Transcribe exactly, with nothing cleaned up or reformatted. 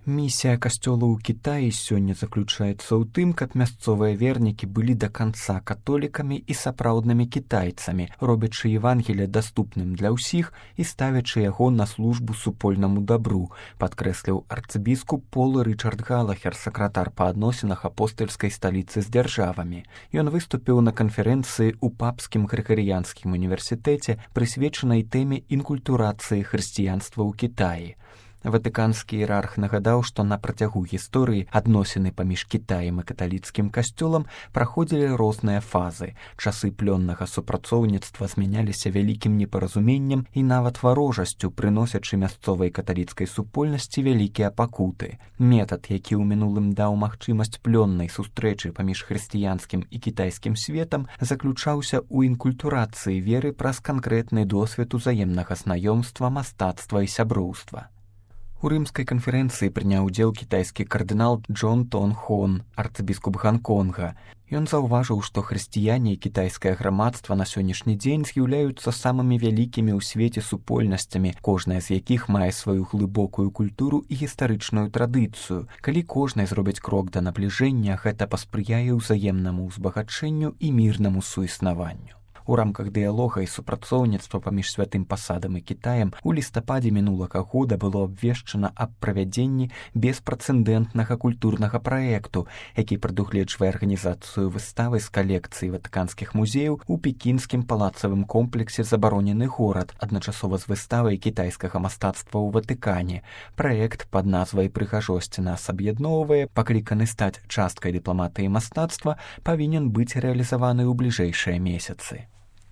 Місія касцёла ў Кітаі сёння заключаецца ў тым, каб мясцовыя вернікі былі да канца католікамі і сапраўднымі кітайцамі, робячы Евангелие даступным для ўсіх і ставячы яго на службу супольнаму дабру, падкрэсліў арцыбіскуп Пол Рычард Галахер, сакратар па адносінах апостальскай сталіцы з дзяржавамі. Ён выступіў на канферэнцыі ў папскім грыгарыянскім універсітэце, прысвечанай тэме інкультурацыі хрысціянства ў Кітаі. Ватыканскі іерарх нагадаў, што на працягу гісторыі адносіны паміж Кітаем і каталіцкім касцёлам праходзілі розныя фазы. Часы плённага супрацоўніцтва змяняліся вялікім непаразуменнем і нават варожасцю, прыносячы мясцовай каталіцкай супольнасці вялікія пакуты. Метад, які ў мінулым даў магчымасць плённай сустрэчы паміж хрысціянскім і кітайскім светам, заключаўся ў інкультурацыі веры праз канкрэтны досвед узаемнага знаёмства, мастацтва і сяброўства. У рымскай канферэнцыі прыняў удзел кітайскі кардынал Джон Тон Хон, арцыбіскуп Ганконга. Ён заўважыў, што хрысціяне і кітайскае грамадства на сённяшні дзень з'яўляюцца самымі вялікімі ў свеце супольнасцямі, кожная з якіх мае сваю глыбокую культуру і гістарычную традыцыю. Калі кожнай зробіць крок да набліжэння, гэта паспрыяе ўзаемнаму ўзбагачэнню і мірнаму суіснаванню. У рамках дыялога і супрацоўніцтва паміж святым пасадам і Кітаем у лістападзе мінулага года было абвешчана аб правядзенні беспрэцэдэнтнага культурнага праекту, які прадугледжвае арганізацыю выставы з калекцыі ватыканскіх музеяў у пекінскім палацавым комплексе «Забаронены горад», адначасова з выставай кітайскага мастацтва ў Ватыкане. Праект пад назвай «Прыгажосць нас аб'ядноўвае», пакліканы стаць часткай дыпламатыі мастацтва, павінен быць рэалізаваны ў бліжэйшыя месяцы.